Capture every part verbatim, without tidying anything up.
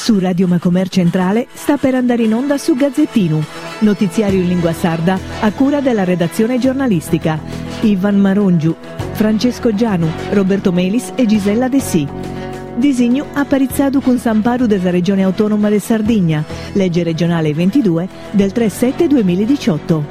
Su Radio Macomer Centrale sta per andare in onda su Gazzettinu, notiziario in lingua sarda a cura della redazione giornalistica. Ivan Marongiu, Francesco Gianu, Roberto Melis e Gisella Dessì. Disignu aparitzadu cun s'amparu de sa Regione Autonoma de Sardigna, legge regionale ventidue del tre sette duemiladiciotto.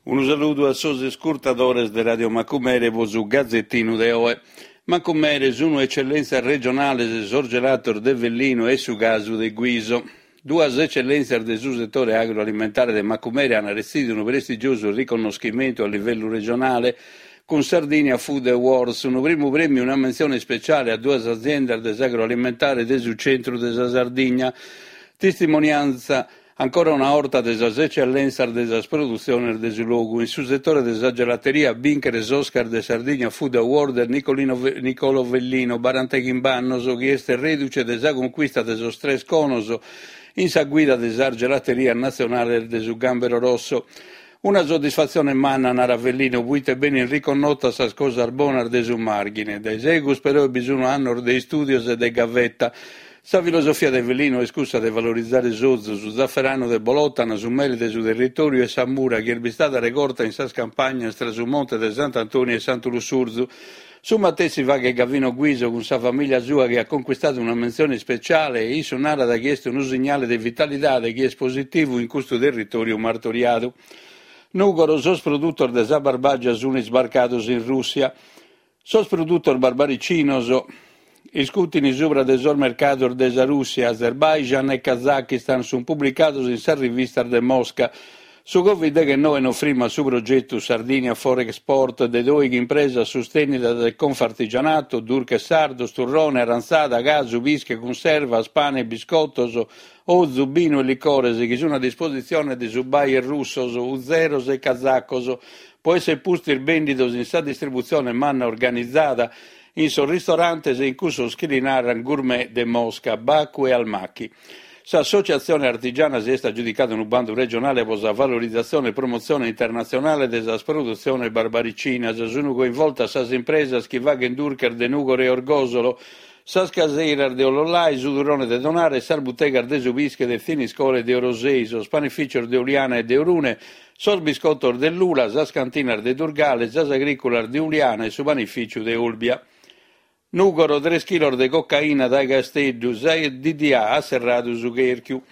Unu saludu a sos iscurtadores de Radio Macumere po su Gazzettinu de oe. Macumere sunu eccellenzias regionales sos gelatos de Vellino e su casu de Guiso. Duas eccellenzias de su settore agroalimentare de Macumere han retzidu unu prestigiosu riconnoschimentu a livellu regionale cun Sardinia Food Awards, unu primu premiu e una menzione ispeciale a duas aziendas de s'agroalimentare de su centru de sa Sardigna. Testimonianza ancora una orta de sas eccellenzias de sas produtziones de su logu. In su settore de sa gelateria binchere s'Oscar de Sardigna Food Award Nicolino Nicolo Vellino, barantachimb'annos, chi est reduce de sa conquista de sos tres conos in sa guida de sas gelaterias nazionales de su Gambero Rosso. Una soddisfazione manna, nara Vellino, puite benin riconnotas sas cosas bonas de su Marghine. Dae segus però bi sunu annos de istudios e de gavetta. Sa filosofia de Vellino est cussa de valorizzare s'ozu, su zafferanu de Bolotana, su mele de su territoriu e sa mura chi est bistada regorta in sas campagnas tra su monte de Sant'Antoni e Santu Lussurzu. Su matessi faghet Gavino Guiso cun sa famiglia sua chi ha conquistato una menzione ispeciale e issu narat chi est unu signale de vitalidade chi est positivu in custu territoriu martoriadu. Nugoro, sos produttos de sa Barbagia sun isbarcados in Russia. Sos produttos barbaricinos iscutini subra de sos mercados de sa Russia, Azerbaijan e Kazakistan sun publicados in sas rivistas de Mosca. Su Covid deghennoe no frimmat su progettu Sardinia for Export de doighi impresas sustènnidas de Confartigianato, durches sardos, turrone, arantzada, casu, pische, cunservas, pane, biscottos, ozu, binu e licores chi sun a dispositzione de sos buyer russos, uzeros e kazacos, po esser pustis bèndidos in sa distributzione manna organizada in sos ristorantes e in cussos chi li naran gourmet de Mosca, Baku e Almaty. S'associazione artigiana si est aggiudicada unu bandu regionale po sa valorizzazione e promozione internazionale de sas produtziones barbaricinas. Sunu coinvoltas sas impresas chi faghen durches de Nugoro e Orgosolo, sas caseiras de Ollolai, su turrone de Tonara e sas butegas de su pische de Thiniscole e de Orosei, sos panificios de Uliana e de Orune, sos biscottos de Lula, sas cantinas de Durgale, sas agriculas de Uliana e su panificiu de Olbia. Nugoro, tres chilos de cocaina dae Casteddu, sa D D A ha serradu su cherchiu.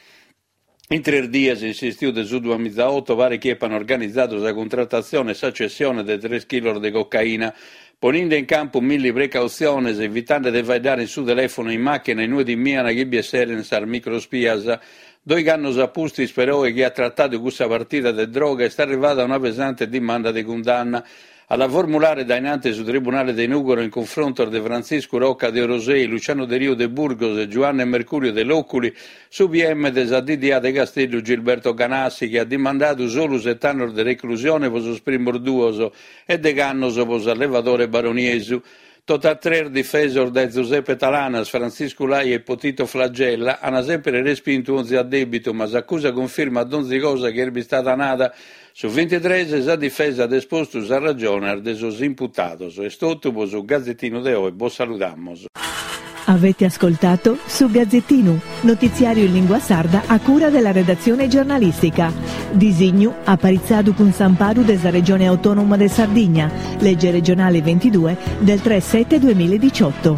In tres dies, in s'istiu de su duamizaotto, pare chi eppan organizzadu sa cuntrattazione e sa cessione de tres chilos de cocaina, poninde in campu milli precautziones, evitande de faeddare in su telefono in macchina inue timiana chi bi esseren sas microspias. Doig'annos a pustis, però, chi ha trattadu cussa partida de droga, est arrivada una pesante dimanda de cundanna. A la formulare da innanti su Tribunale de Nugoro in confronto de Francisco Rocca de Orosei, Luciano De Rio de Burgos e Giovanni Mercurio de Loculi, su P M de sa D D A de Casteddu Gilberto Ganassi, che ha dimandato solo sette anni de reclusione po sos primos duos e deg'annos po s'allevadore baroniesu. Tota tres difesos dae Giuseppe Talanas, Francisco Lai e Potito Flagella hanno sempre respinto onzi addebito, ma s'accusa conferma donzi cosa che è stata nata. Su ventitrés sa difesa ha esposto sa ragione de sos imputados. Est totu po su Gazzettino de oe, bos saludamos. Avete ascoltato su Gazzettinu, notiziario in lingua sarda a cura della redazione giornalistica. Disignu aparitzadu cun s'amparu de sa Regione Autonoma de Sardigna, legge regionale ventidue del tre sette duemiladiciotto.